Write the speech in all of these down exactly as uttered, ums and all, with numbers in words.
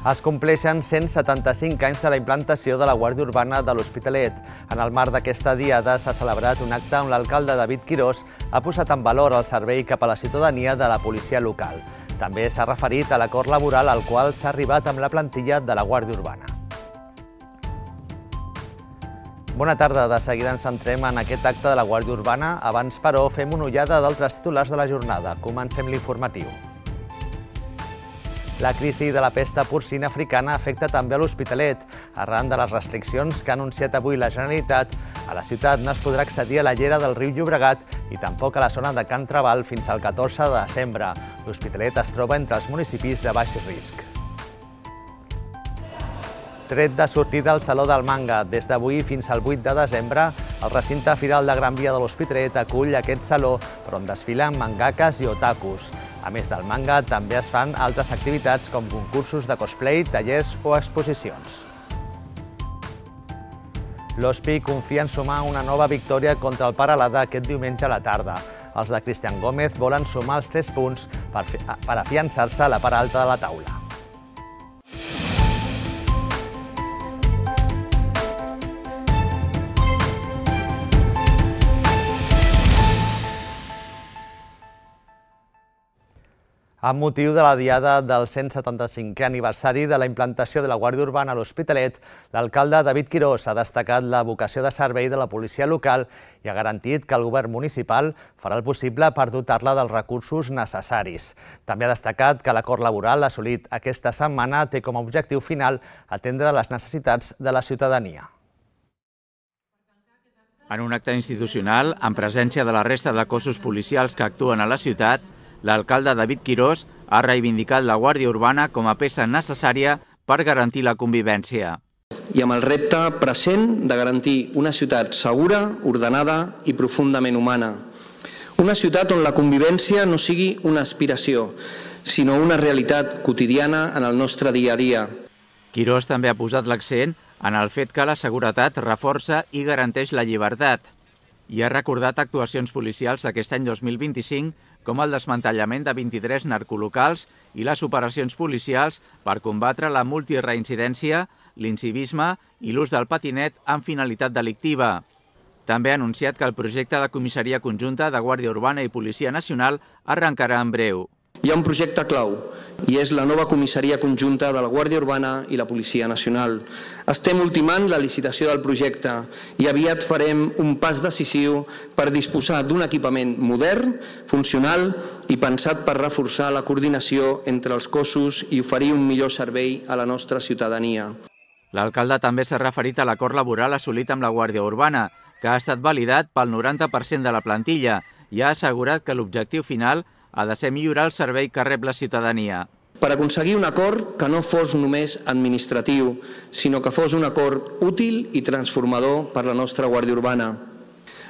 Es compleixen cent setanta-cinc anys de la implantació de la Guàrdia Urbana de l'Hospitalet. En el marc d'aquesta diada s'ha celebrat un acte on l'alcalde David Quirós ha posat en valor el servei cap a la ciutadania de la policia local. També s'ha referit a l'acord laboral al qual s'ha arribat amb la plantilla de la Guàrdia Urbana. Bona tarda, de seguida ens centrem en aquest acte de la Guàrdia Urbana. Abans, però, fem una ullada d'altres titulars de la jornada. Comencem l'informatiu. La crisi de la pesta porcina africana afecta també a l'Hospitalet. Arran de les restriccions que ha anunciat avui la Generalitat, a la ciutat no es podrà accedir a la llera del riu Llobregat i tampoc a la zona de Can Trabal fins al catorze de desembre. L'Hospitalet es troba entre els municipis de baix risc. Tret de sortida al Saló del Manga. Des d'avui fins al vuit de desembre, el recinte firal de Gran Via de l'Hospitalet acull aquest saló per on desfilen mangakes i otakus. A més del manga, també es fan altres activitats com concursos de cosplay, tallers o exposicions. L'Hospi confia en sumar una nova victòria contra el Peralada aquest diumenge a la tarda. Els de Cristian Gómez volen sumar els tres punts per, per afiançar-se a la part alta de la taula. Amb motiu de la diada del cent setanta-cinquè aniversari de la implantació de la Guàrdia Urbana a l'Hospitalet, l'alcalde David Quirós ha destacat la vocació de servei de la policia local i ha garantit que el govern municipal farà el possible per dotar-la dels recursos necessaris. També ha destacat que l'acord laboral assolit aquesta setmana té com a objectiu final atendre les necessitats de la ciutadania. En un acte institucional, en presència de la resta de cossos policials que actuen a la ciutat, l'alcalde David Quirós ha reivindicat la Guàrdia Urbana com a peça necessària per garantir la convivència. I amb el repte present de garantir una ciutat segura, ordenada i profundament humana. Una ciutat on la convivència no sigui una aspiració, sinó una realitat quotidiana en el nostre dia a dia. Quirós també ha posat l'accent en el fet que la seguretat reforça i garanteix la llibertat i ha recordat actuacions policials d'aquest any dos mil vint-i-cinc com el desmantellament de vint-i-tres narcolocals i les operacions policials per combatre la multireincidència, l'incivisme i l'ús del patinet amb finalitat delictiva. També ha anunciat que el projecte de comissaria conjunta de Guàrdia Urbana i Policia Nacional arrencarà en breu. Hi ha un projecte clau i és la nova comissaria conjunta de la Guàrdia Urbana i la Policia Nacional. Estem ultimant la licitació del projecte i aviat farem un pas decisiu per disposar d'un equipament modern, funcional i pensat per reforçar la coordinació entre els cossos i oferir un millor servei a la nostra ciutadania. L'alcalde també s'ha referit a l'acord laboral assolit amb la Guàrdia Urbana, que ha estat validat pel noranta per cent de la plantilla i ha assegurat que l'objectiu final ha de ser millorar el servei que rep la ciutadania. Per aconseguir un acord que no fos només administratiu, sinó que fos un acord útil i transformador per la nostra Guàrdia Urbana.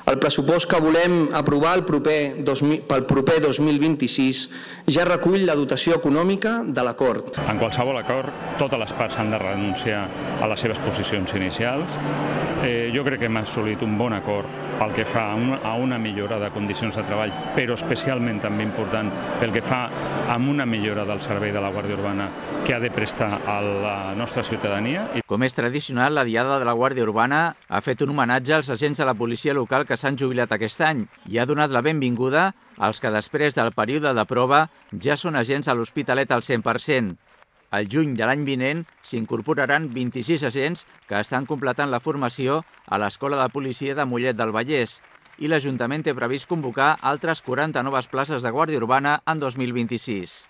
El pressupost que volem aprovar el proper pel proper dos mil vint-i-sis ja recull la dotació econòmica de l'acord. En qualsevol acord, totes les parts han de renunciar a les seves posicions inicials. Eh, jo crec que hem assolit un bon acord pel que fa a una, a una millora de condicions de treball, però especialment també important pel que fa a una millora del servei de la Guàrdia Urbana que ha de prestar a la nostra ciutadania. Com és tradicional, la Diada de la Guàrdia Urbana ha fet un homenatge als agents de la policia local que s'han jubilat aquest any i ha donat la benvinguda als que després del període de prova ja són agents a l'Hospitalet al cent per cent. Al juny de l'any vinent s'incorporaran vint-i-sis agents que estan completant la formació a l'Escola de Policia de Mollet del Vallès i l'Ajuntament té previst convocar altres quaranta noves places de Guàrdia Urbana en dos mil vint-i-sis.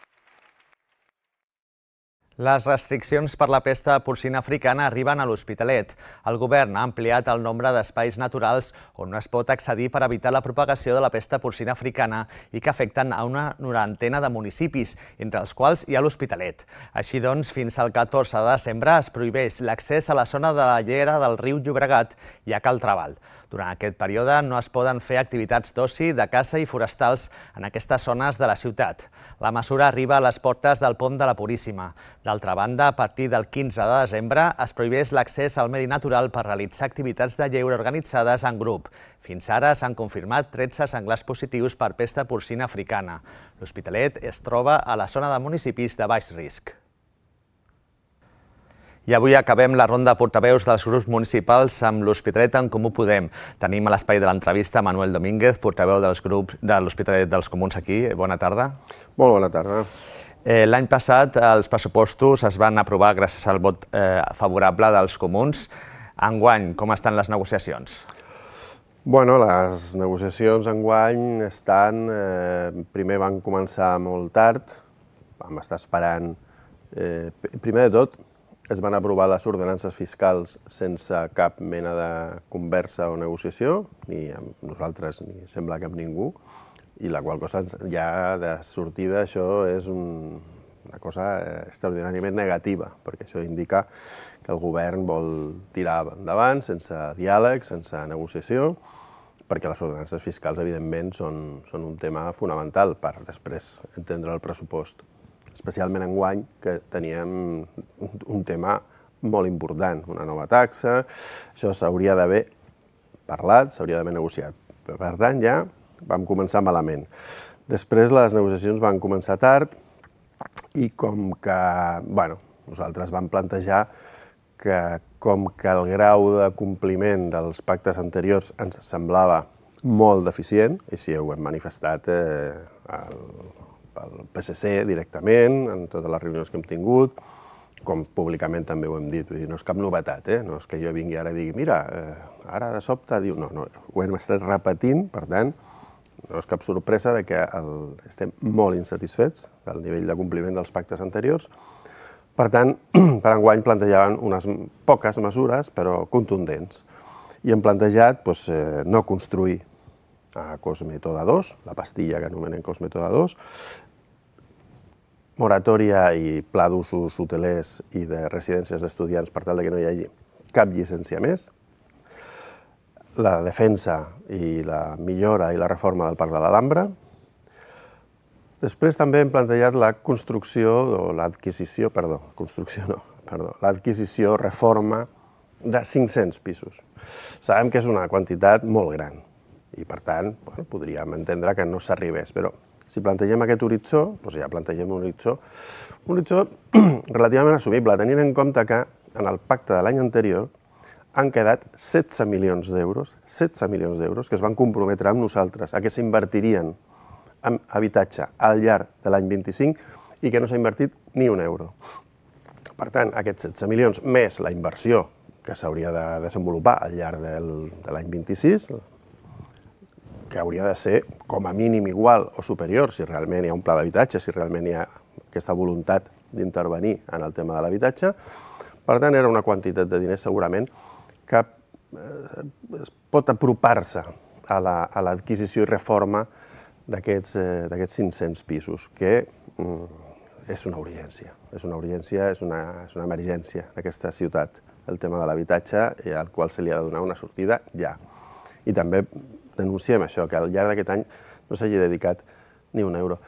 Les restriccions per la pesta porcina africana arriben a l'Hospitalet. El govern ha ampliat el nombre d'espais naturals on no es pot accedir per evitar la propagació de la pesta porcina africana i que afecten a una norantena de municipis, entre els quals hi ha l'Hospitalet. Així doncs, fins al catorze de desembre es prohibeix l'accés a la zona de la llera del riu Llobregat i a Cal Trabal. Durant aquest període no es poden fer activitats d'oci, de caça i forestals en aquestes zones de la ciutat. La mesura arriba a les portes del Pont de la Puríssima. D'altra banda, a partir del quinze de desembre es prohibeix l'accés al medi natural per realitzar activitats de lleure organitzades en grup. Fins ara s'han confirmat tretze senglars positius per pesta porcina africana. L'Hospitalet es troba a la zona de municipis de baix risc. I avui acabem la ronda de portaveus dels grups municipals amb l'Hospitalet en Comú Podem. Tenim a l'espai de l'entrevista Manuel Domínguez, portaveu dels grups de l'Hospitalet dels Comuns aquí. Bona tarda. Molt bona tarda. L'any passat els pressupostos es van aprovar gràcies al vot favorable dels comuns. Enguany, com estan les negociacions? Bueno, les negociacions enguany estan... Primer van començar molt tard, vam estar esperant... Primer de tot, es van aprovar les ordenances fiscals sense cap mena de conversa o negociació, ni amb nosaltres ni sembla que amb ningú, i la qual cosa ja de sortida això és una cosa extraordinàriament negativa, perquè això indica que el govern vol tirar endavant sense diàleg, sense negociació, perquè les ordenances fiscals, evidentment, són un tema fonamental per després entendre el pressupost. Especialment enguany, que teníem un tema molt important, una nova taxa, això s'hauria d'haver parlat, s'hauria d'haver negociat. Per tant, ja vam començar malament. Després les negociacions van començar tard i com que, bueno, nosaltres vam plantejar que com que el grau de compliment dels pactes anteriors ens semblava molt deficient, i així ho hem manifestat al pel P S C directament, en totes les reunions que hem tingut, com públicament també ho hem dit, vull dir, no és cap novetat, no és que jo vingui ara i digui, mira, ara de sobte diu, no, no, ho hem estat repetint, per tant, no és cap sorpresa que estem molt insatisfets del nivell de compliment dels pactes anteriors. Per tant, per enguany plantejaven unes poques mesures, però contundents, i hem plantejat no construir a Cosmetoda dos, la pastilla que anomenem Cosmetoda dos, moratòria i pla d'usos hotelers i de residències d'estudiants per tal que no hi hagi cap llicència més, la defensa i la millora i la reforma del Parc de l'Alhambra. Després també hem plantejat la construcció, o l'adquisició, perdó, construcció no, perdó, l'adquisició, reforma de cinc-cents pisos. Sabem que és una quantitat molt gran i, per tant, podríem entendre que no s'arribés, però si plantegem aquest horitzó, doncs ja plantegem un horitzó, un horitzó relativament assumible, tenint en compte que en el pacte de l'any anterior han quedat setze milions d'euros, setze milions d'euros que es van comprometre amb nosaltres a que s'invertirien en habitatge al llarg de l'any vint-i-cinc i que no s'ha invertit ni un euro. Per tant, aquests setze milions més la inversió que s'hauria de desenvolupar al llarg de l'any vint-i-sis, que hauria de ser com a mínim igual o superior si realment hi ha un pla d'habitatge, si realment hi ha aquesta voluntat d'intervenir en el tema de l'habitatge. Per tant, era una quantitat de diners segurament que es pot apropar-se a l'adquisició i reforma d'aquests cinc-cents pisos, que és una urgència, és una urgència, és una emergència d'aquesta ciutat, el tema de l'habitatge, al qual se li ha de donar una sortida ja. I també denunciem això, que al llarg d'aquest any no s'hagi dedicat ni un euro.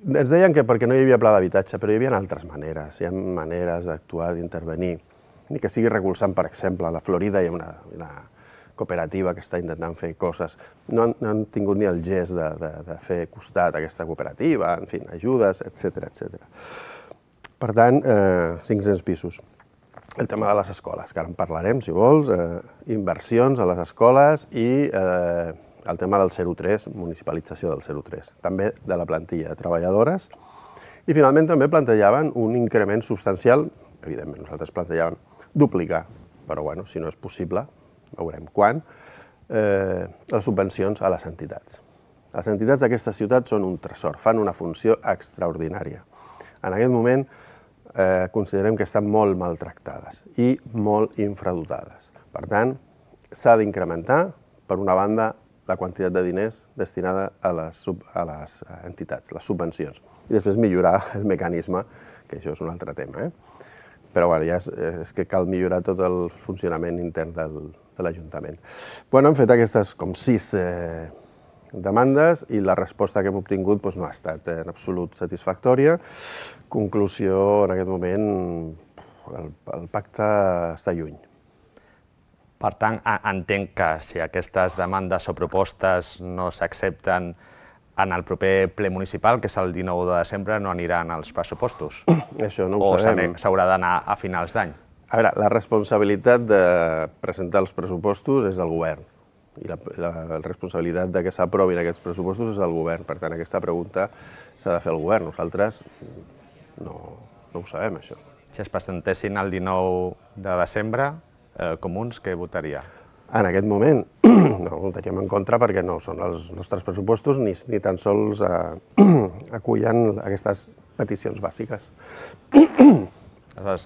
Ens deien que perquè no hi havia pla d'habitatge, però hi havia altres maneres, hi ha maneres d'actuar, d'intervenir, ni que sigui recolzant, per exemple, a la Florida hi ha una cooperativa que està intentant fer coses, no han tingut ni el gest de fer costat a aquesta cooperativa, en fi, ajudes, etcètera, etcètera. Per tant, cinc-cents pisos. El tema de les escoles, que ara en parlarem, si vols, inversions a les escoles i el tema del zero tres, municipalització del zero tres, també de la plantilla de treballadores. I finalment també plantejaven un increment substancial, evidentment nosaltres plantejàvem duplicar, però bueno, si no és possible, veurem quan, les subvencions a les entitats. Les entitats d'aquesta ciutat són un tresor, fan una funció extraordinària. En aquest moment, considerem que estan molt maltractades i molt infradotades. Per tant, s'ha d'incrementar, per una banda, la quantitat de diners destinada a les entitats, les subvencions, i després millorar el mecanisme, que això és un altre tema. Però ja és que cal millorar tot el funcionament intern de l'Ajuntament. Hem fet aquestes com sis demandes i la resposta que hem obtingut no ha estat en absolut satisfactòria. Conclusió, en aquest moment, el pacte està lluny. Per tant, entenc que si aquestes demandes o propostes no s'accepten, en el proper ple municipal, que és el dinou de desembre, no aniran els pressupostos? Això no ho sabem. O s'haurà d'anar a finals d'any? A veure, la responsabilitat de presentar els pressupostos és del govern i la, la, la responsabilitat de que s'aprovin aquests pressupostos és del govern. Per tant, aquesta pregunta s'ha de fer el govern. Nosaltres no, no ho sabem, això. Si es presentessin el dinou de desembre, eh, Comuns, què votaria? En aquest moment no votaríem en contra perquè no són els nostres pressupostos ni, ni tan sols eh, acullen aquestes peticions bàsiques.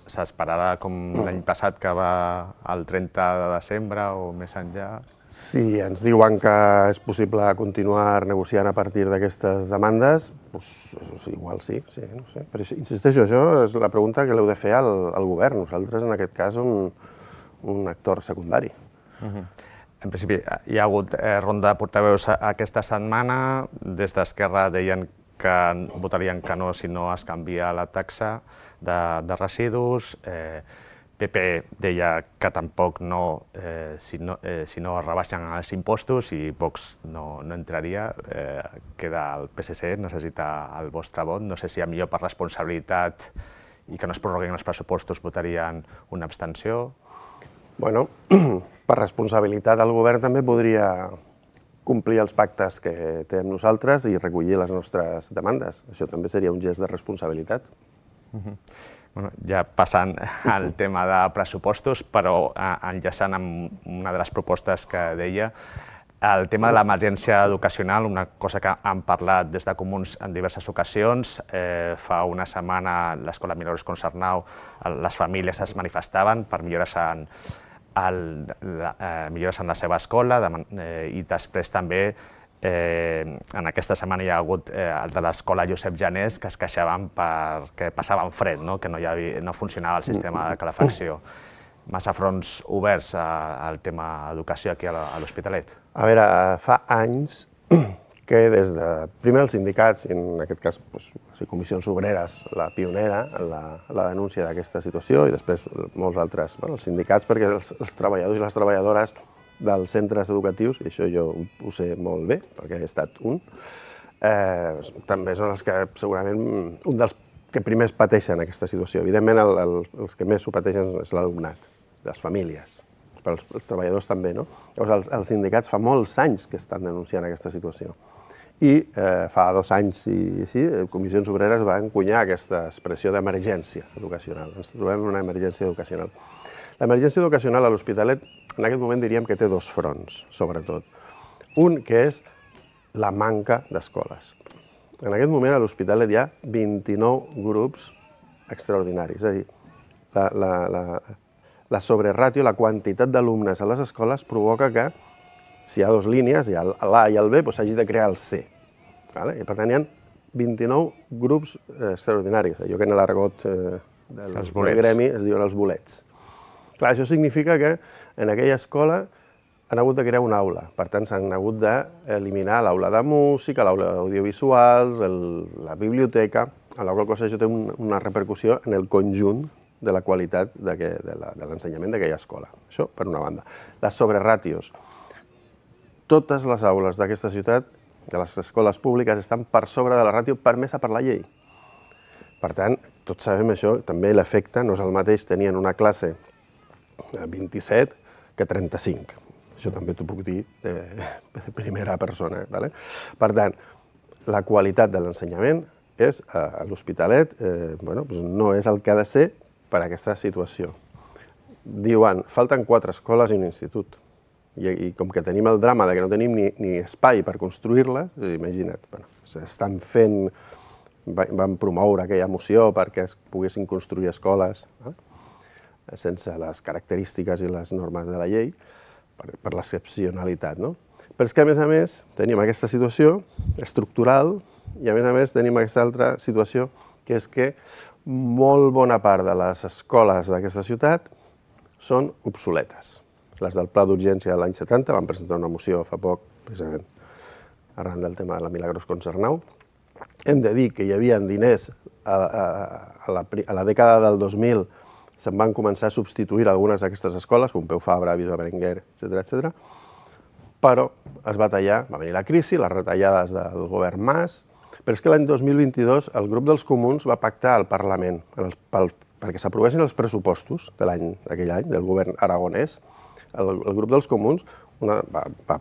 S'esperarà com l'any passat, que va el trenta de desembre o més enllà? Si ens diuen que és possible continuar negociant a partir d'aquestes demandes, doncs igual sí, sí, no sé. Però insisteixo, això és la pregunta que l'heu de fer al, al govern. Nosaltres, en aquest cas, som un actor secundari. Uh-huh. En principi, hi ha hagut eh, ronda de portaveus aquesta setmana. Des d'Esquerra deien que votarien que no si no es canvia la taxa de, de residus. Eh, P P deia que tampoc no, eh, si no, eh, si no es rebaixen els impostos, i Vox no, no entraria. Eh, queda el P S C, necessita el vostre vot. No sé si a millor per responsabilitat i que no es prorroguin els pressupostos votarien una abstenció. Bueno, per responsabilitat el govern també podria complir els pactes que té amb nosaltres i recollir les nostres demandes. Això també seria un gest de responsabilitat. Uh-huh. Bueno, ja passant al tema de pressupostos, però enllaçant amb una de les propostes que deia, el tema de l'emergència educacional, una cosa que han parlat des de Comuns en diverses ocasions. Eh, fa una setmana l'Escola Milagros Concernau, les famílies es manifestaven per millores en, el, la, eh, millores en la seva escola, de, eh, i després també Eh, en aquesta setmana hi ha hagut eh, el de l'escola Josep Janés, que es queixaven perquè passaven fred, no? Que no, hi havia, no funcionava el sistema de calefacció. Massa fronts oberts al tema educació aquí a l'Hospitalet? A veure, fa anys que des de, primer els sindicats, i en aquest cas doncs, Comissions Obreres, la pionera en la, la denúncia d'aquesta situació, i després molts altres, bueno, els sindicats, perquè els, els treballadors i les treballadores dels centres educatius, i això jo ho sé molt bé, perquè he estat un, eh, també són els que segurament un dels que primers pateixen aquesta situació. Evidentment, el, el, els que més ho pateixen és l'alumnat, les famílies, però els, els treballadors també, no? Llavors, els, els sindicats fa molts anys que estan denunciant aquesta situació. I eh, fa dos anys i així, Comissions Obreres va encunyar aquesta expressió d'emergència educacional. Ens trobem en una emergència educacional. L'emergència educacional a l'Hospitalet, en aquest moment diríem que té dos fronts, sobretot. Un, que és la manca d'escoles. En aquest moment a l'Hospitalet hi ha vint-i-nou grups extraordinaris, és a dir, la, la, la, la sobreràtio, la quantitat d'alumnes a les escoles provoca que, si hi ha dues línies, hi ha l'A i el B, doncs s'hagi de crear el C. Vale? I per tant hi ha vint-i-nou grups extraordinaris, allò que en l'argot eh, del, del gremi es diuen els bolets. Clar, això significa que en aquella escola han hagut de crear una aula. Per tant, s'han hagut d'eliminar l'aula de música, l'aula d'audiovisuals, la biblioteca, amb la qual cosa això té un, una repercussió en el conjunt de la qualitat de, que, de, la, de l'ensenyament d'aquella escola. Això, per una banda. Les sobreràtios. Totes les aules d'aquesta ciutat, de les escoles públiques, estan per sobre de la ràtio permesa per la llei. Per tant, tots sabem això, també l'efecte no és el mateix tenir en una classe vint-i-set que trenta-cinc. Això també t'ho puc dir de, de primera persona. Vale? Per tant, la qualitat de l'ensenyament és, a l'Hospitalet, eh, bueno, doncs no és el que ha de ser per a aquesta situació. Diuen, falten quatre escoles i un institut. I, i com que tenim el drama de que no tenim ni, ni espai per construir-les, imagina't, bueno, s'estan fent, van promoure aquella moció perquè es poguessin construir escoles, eh? sense les característiques i les normes de la llei, per, per l'excepcionalitat, no? Però és que, a més a més, tenim aquesta situació estructural i, a més a més, tenim aquesta altra situació, que és que molt bona part de les escoles d'aquesta ciutat són obsoletes. Les del Pla d'Urgència de l'any setanta van presentar una moció fa poc, precisament arran del tema de la Milagros Concernau. Hem de dir que hi havia diners a, a, a, la, a la dècada del dos mil, se'n van començar a substituir algunes d'aquestes escoles, Pompeu Fabra, Viso Berenguer, etcètera, etcètera. però es va tallar, va venir la crisi, les retallades del govern Mas, però és que l'any dos mil vint-i-dos el grup dels comuns va pactar al Parlament en els, pel, perquè s'aprovessin els pressupostos de l'any d'aquell any, del govern aragonès. El, el grup dels comuns una, va, va,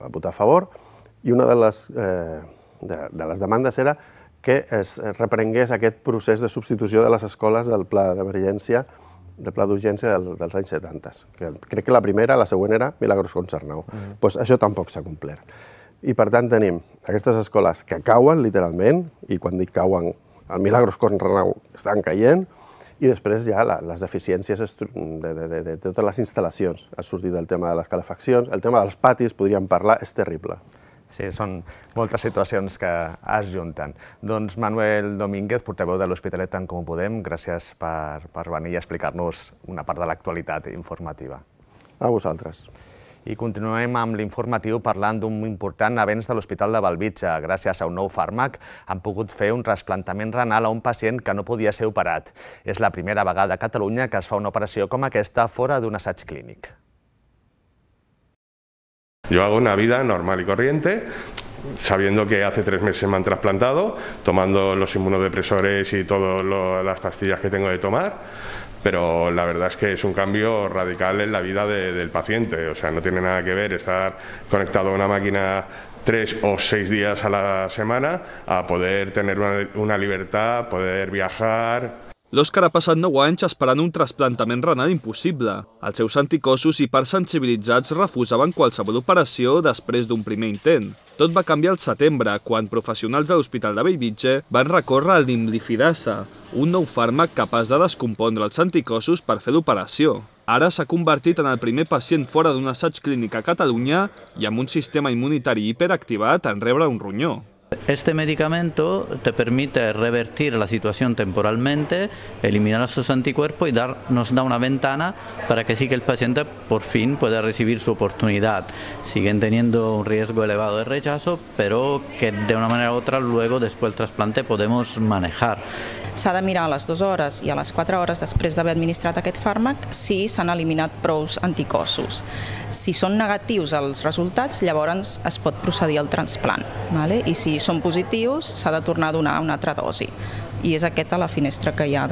va votar a favor i una de les, eh, de, de les demandes era que es reprengués aquest procés de substitució de les escoles del pla d'emergència, del pla d'urgència del, dels anys setanta. Que crec que la primera, la següent era Milagros Concernau. Mm-hmm. Pues això tampoc s'ha complert. I per tant tenim aquestes escoles que cauen, literalment, i quan dic cauen, el Milagros Concernau estan caient, i després ja la, les deficiències de, de, de, de totes les instal·lacions. Ha sortit el tema de les calefaccions, el tema dels patis, podríem parlar, és terrible. Sí, són moltes situacions que es junten. Doncs Manuel Domínguez, portaveu de l'Hospitalet en Comú Podem, gràcies per, per venir i explicar-nos una part de l'actualitat informativa. A vosaltres. I continuem amb l'informatiu parlant d'un important avenç de l'Hospital de Bellvitge. Gràcies a un nou fàrmac han pogut fer un trasplantament renal a un pacient que no podia ser operat. És la primera vegada a Catalunya que es fa una operació com aquesta fora d'un assaig clínic. Yo hago una vida normal y corriente, sabiendo que hace tres meses me han trasplantado, tomando los inmunodepresores y todas las pastillas que tengo de tomar, pero la verdad es que es un cambio radical en la vida de, del paciente. O sea, no tiene nada que ver estar conectado a una máquina tres o seis días a la semana a poder tener una, una libertad, poder viajar. L'Òscar ha passat nou anys esperant un trasplantament renal impossible. Els seus anticossos hipersensibilitzats refusaven qualsevol operació després d'un primer intent. Tot va canviar al setembre, quan professionals de l'Hospital de Bellvitge van recórrer al imlifidasa, un nou fàrmac capaç de descompondre els anticossos per fer l'operació. Ara s'ha convertit en el primer pacient fora d'un assaig clínic a Catalunya i amb un sistema immunitari hiperactivat en rebre un ronyó. Este medicamento te permite revertir la situación temporalmente, eliminar esos anticuerpos y dar, nos da una ventana para que sí que el paciente por fin pueda recibir su oportunidad. Siguen teniendo un riesgo elevado de rechazo, pero que de una manera u otra luego después del trasplante podemos manejar. S'ha de mirar a les dues hores i a les quatre hores després d'haver administrat aquest fàrmac si s'han eliminat prous anticossos. Si són negatius els resultats, llavors es pot procedir al trasplant. I si són positius, s'ha de tornar a donar una altra dosi. I és aquesta la finestra que hi ha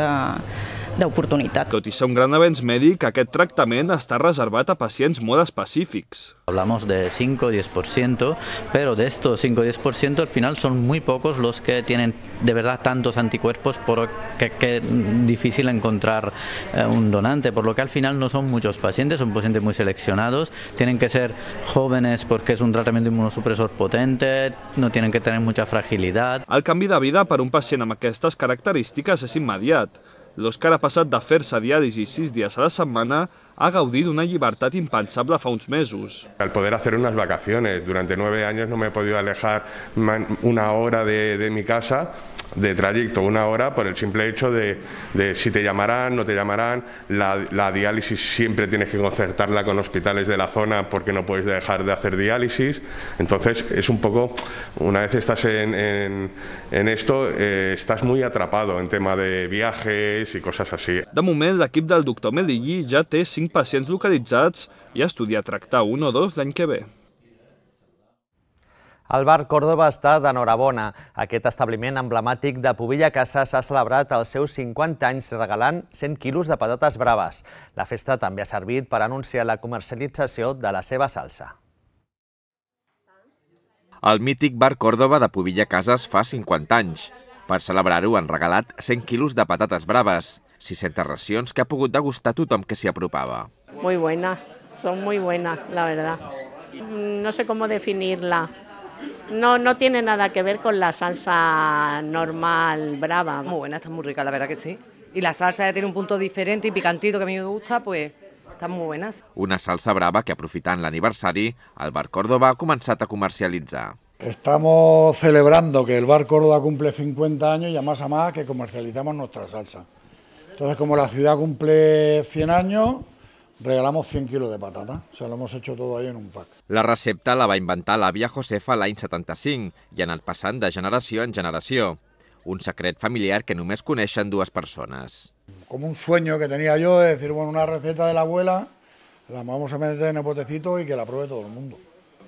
d'oportunitat. Tot i ser un gran avenç mèdic, aquest tractament està reservat a pacients molt específics. Hablamos de cinco o diez por ciento, pero de estos cinco o diez por ciento al final son muy pocos los que tienen de verdad tantos anticuerpos por que, que es difícil encontrar eh, un donante, por lo que al final no son muchos pacientes, son pacientes muy seleccionados, tienen que ser jóvenes porque es un tratamiento inmunosupresor potente, no tienen que tener mucha fragilidad. El canvi de vida per un pacient amb aquestes característiques és immediat. L'Òscar ha passat de fer-se diàlisi sis dies a la setmana a gaudir d'una llibertat impensable fa uns mesos. Al poder hacer unas vacaciones, durante nueve años no me he podido alejar una hora de, de mi casa, de trayecto, una hora, por el simple hecho de, de si te llamarán, no te llamarán. La, la diálisis siempre tienes que concertarla con hospitales de la zona porque no puedes dejar de hacer diálisis. Entonces es un poco, una vez estás en, en, en esto, eh, estás muy atrapado en tema de viajes y cosas así. De moment, l'equip del doctor Medellí ja té cinc pacients localitzats i estudia tractar un o dos l'any que ve. El bar Còrdova està d'enhorabona. Aquest establiment emblemàtic de Pubilla Casas ha celebrat els seus cinquanta anys regalant cent quilos de patates braves. La festa també ha servit per anunciar la comercialització de la seva salsa. El mític bar Còrdova de Pubilla Casas fa cinquanta anys. Per celebrar-ho han regalat cent quilos de patates braves, sis-centes racions que ha pogut degustar tothom que s'hi apropava. Muy buena, son muy buenas, la verdad. No sé cómo definirla. No, no tiene nada que ver con la salsa normal, brava. Muy buena, está muy rica, la verdad que sí. Y la salsa ya tiene un punto diferente y picantito que a mí me gusta, pues están muy buenas. Una salsa brava que, aprofitant l'aniversari, el bar Còrdova ha començat a comercialitzar. Estamos celebrando que el bar Córdoba cumple cincuenta años y a más a más que comercializamos nuestra salsa. Entonces, como la ciudad cumple cien años, regalamos cien kilos de patata. O sea, lo hemos hecho todo ahí en un pack. La recepta la va inventar l'àvia Josefa l'any setanta-cinc i ha anat passant de generació en generació. Un secret familiar que només coneixen dues persones. Como un sueño que tenía yo de decir, bueno, una receta de la abuela, la vamos a meter en el botecito y que la pruebe todo el mundo.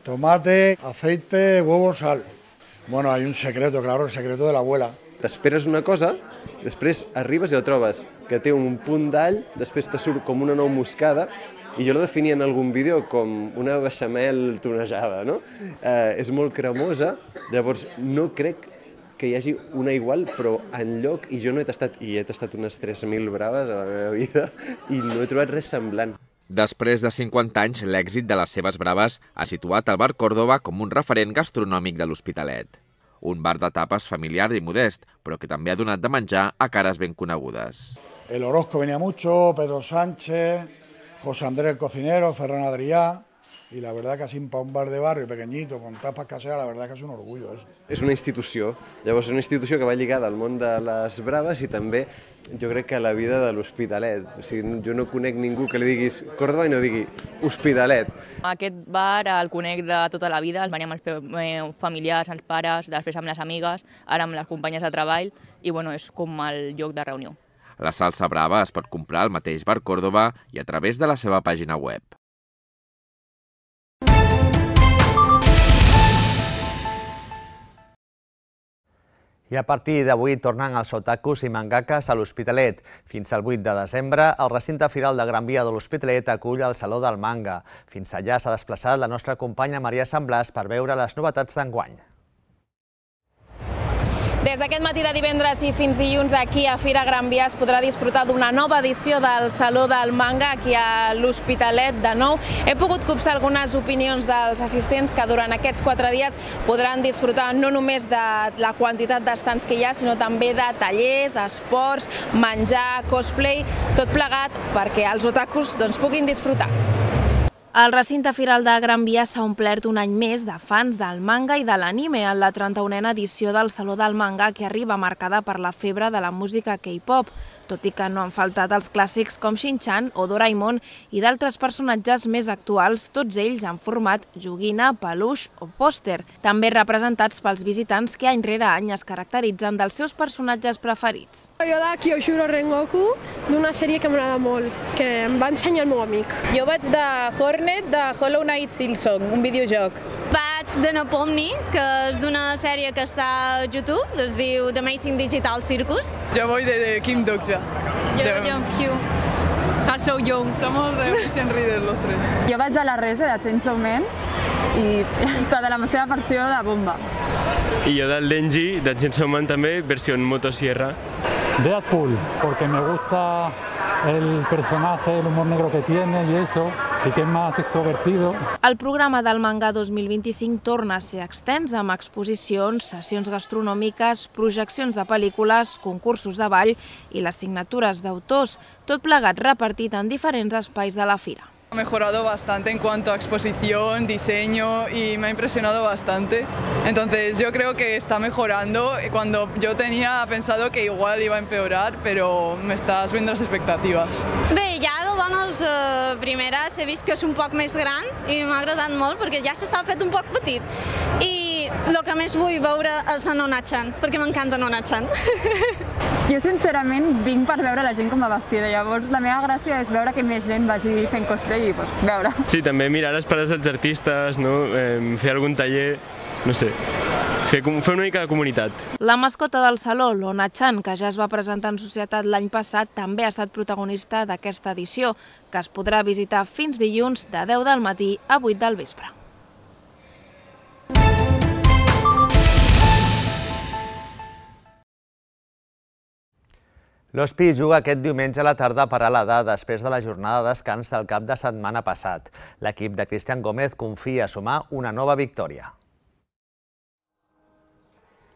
tomate, aceite, huevo, sal. Bueno, hay un secreto, claro, el secreto de la abuela. T'esperes una cosa, després arribes i la trobes, que té un punt d'all, després te surt com una nou moscada, i jo la definia en algun vídeo com una beixamel tonejada, no? Eh, és molt cremosa, llavors no crec que hi hagi una igual, però enlloc, i jo no he tastat, i he tastat unes tres mil braves a la meva vida, i no he trobat res semblant. Després de cinquanta anys, l'èxit de les seves braves ha situat el bar Córdoba com un referent gastronòmic de l'Hospitalet. Un bar de tapes familiar i modest, però que també ha donat de menjar a cares ben conegudes. El Orozco venía mucho, Pedro Sánchez, José Andrés el cocinero, Ferran Adrià, y la verdad que así para un bar de barrio pequeñito, con tapas caseras, la verdad que es un orgullo eso. És una institució, llavors és una institució que va lligada al món de les braves i també jo crec que a la vida de l'Hospitalet. O sigui, jo no conec ningú que li diguis Córdoba i no digui Hospitalet. Aquest bar el conec de tota la vida, el venim amb els familiars, els pares, després amb les amigues, ara amb les companyes de treball i bueno, és com el lloc de reunió. La salsa brava es pot comprar al mateix bar Córdoba i a través de la seva pàgina web. I a partir d'avui tornen els otakus i mangakas a l'Hospitalet. Fins al vuit de desembre, el recinte firal de Gran Via de l'Hospitalet acull el Saló del Manga. Fins allà s'ha desplaçat la nostra companya Maria Sant Blas per veure les novetats d'enguany. Des d'aquest matí de divendres i fins dilluns aquí a Fira Gran Via es podrà disfrutar d'una nova edició del Saló del Manga aquí a l'Hospitalet de nou. He pogut copsar algunes opinions dels assistents que durant aquests quatre dies podran disfrutar no només de la quantitat d'estants que hi ha, sinó també de tallers, esports, menjar, cosplay, tot plegat perquè els otakus doncs, puguin disfrutar. El recinte firal de Gran Via s'ha omplert un any més de fans del manga i de l'anime en la trenta-unena edició del Saló del Manga, que arriba marcada per la febre de la música K-pop, tot i que no han faltat els clàssics com Shin-chan o Doraemon i d'altres personatges més actuals, tots ells en format joguina, peluix o pòster, també representats pels visitants que any rere any es caracteritzen dels seus personatges preferits. Jo de Kyoshiro Rengoku, d'una sèrie que m'agrada molt, que em va ensenyar el meu amic. Jo vaig de Hornet de Hollow Knight Silksong, un videojoc. Vaig de Nepomni, que és d'una sèrie que està a YouTube, es diu The Amazing Digital Circus. Yo voy de, de Kim Dokja. Yo de Young-Hyo. Ha So-young. Somos de Vision Reader los tres. Jo vaig a la Rese de Chainsaw Man i està de la seva versió de Bomba. Y yo del Denji, de Chainsaw Man també, versión motosierra. Deadpool, porque me gusta el personaje, el humor negro que tiene y eso, y que es más extrovertido. El programa del Manga dos mil vint-i-cinc torna a ser extens amb exposicions, sessions gastronòmiques, projeccions de pel·lícules, concursos de ball i les signatures d'autors, tot plegat repartit en diferents espais de la fira. Ha mejorado bastante en cuanto a exposición, diseño y me ha impresionado bastante. Entonces yo creo que está mejorando. Cuando yo tenía pensado que igual iba a empeorar, pero me está subiendo las expectativas. Bé, ja de bones eh, primeres he vist que és un poc més gran i m'ha agradat molt perquè ja s'estava fet un poc petit. I el que més vull veure és a Nona-chan, perquè m'encanta Nona-chan. Jo sincerament vinc per veure la gent com va vestida, llavors la meva gràcia és veure que més gent vagi fent cosplay i pues, veure. Sí, també mirar les pares dels artistes, no? eh, fer algun taller, no sé, fer, fer una mica de comunitat. La mascota del saló, l'Ona-chan, que ja es va presentar en societat l'any passat, també ha estat protagonista d'aquesta edició, que es podrà visitar fins dilluns de deu del matí a vuit del vespre. L'Hospi juga aquest diumenge a la tarda a Peralada després de la jornada de descans del cap de setmana passat. L'equip de Cristian Gómez confia a sumar una nova victòria.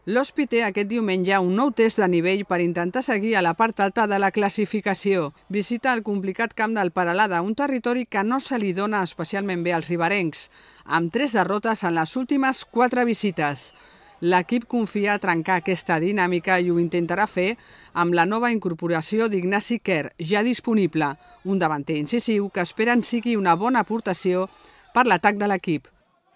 L'Hospi té aquest diumenge un nou test de nivell per intentar seguir a la part alta de la classificació. Visita el complicat camp del Peralada, un territori que no se li dona especialment bé als riberencs, amb tres derrotes en les últimes quatre visites. L'equip confia a trencar aquesta dinàmica i ho intentarà fer amb la nova incorporació d'Ignasi Quer, ja disponible, un davanter incisiu que esperen sigui una bona aportació per l'atac de l'equip.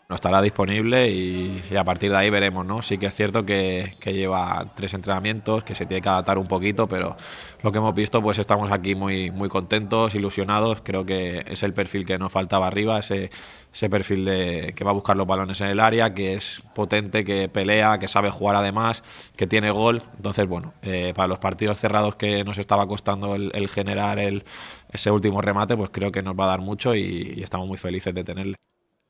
No estará disponible y, y a partir de ahí veremos, ¿no? Sí que es cierto que, que lleva tres entrenamientos, que se tiene que adaptar un poquito, pero lo que hemos visto, pues estamos aquí muy, muy contentos, ilusionados. Creo que es el perfil que nos faltaba arriba, ese, ese perfil de, que va a buscar los balones en el área, que es potente, que pelea, que sabe jugar además, que tiene gol. Entonces, bueno, eh, para los partidos cerrados que nos estaba costando el, el generar el, ese último remate, pues creo que nos va a dar mucho y, y estamos muy felices de tenerle.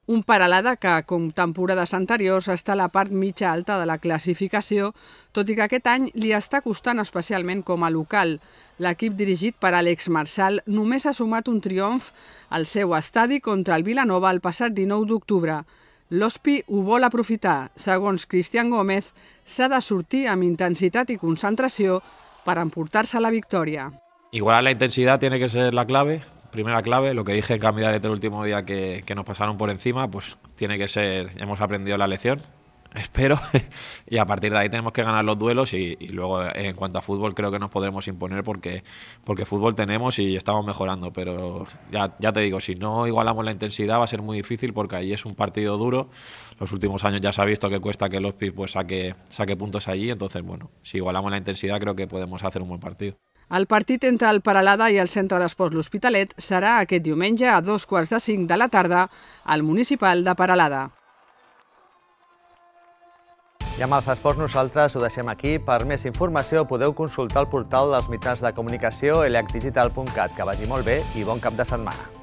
Un Peralada que, com temporades anteriors, està a la part mitja alta de la classificació, tot i que aquest any li està costant especialment com a local. L'equip dirigit per Àlex Marsal només ha sumat un triomf al seu estadi contra el Vilanova el passat dinou d'octubre. L'Hospi ho vol aprofitar. Segons Cristian Gómez, s'ha de sortir amb intensitat i concentració per emportar-se la victòria. Igualar la intensidad tiene que ser la clave. Primera clave, lo que dije en Canvidalet el último día que, que nos pasaron por encima, pues tiene que ser, hemos aprendido la lección, espero, y a partir de ahí tenemos que ganar los duelos y, y luego en cuanto a fútbol creo que nos podremos imponer porque, porque fútbol tenemos y estamos mejorando, pero ya, ya te digo, si no igualamos la intensidad va a ser muy difícil porque ahí es un partido duro. Los últimos años ya se ha visto que cuesta que el Hospi pues saque, saque puntos allí, entonces bueno, si igualamos la intensidad creo que podemos hacer un buen partido. El partit entre el Peralada i el Centre d'Esports L'Hospitalet serà aquest diumenge a dos quarts de cinc de la tarda al Municipal de Peralada. I amb els esports nosaltres ho deixem aquí. Per més informació podeu consultar el portal dels mitjans de comunicació elacdigital punt cat. Que vagi molt bé i bon cap de setmana.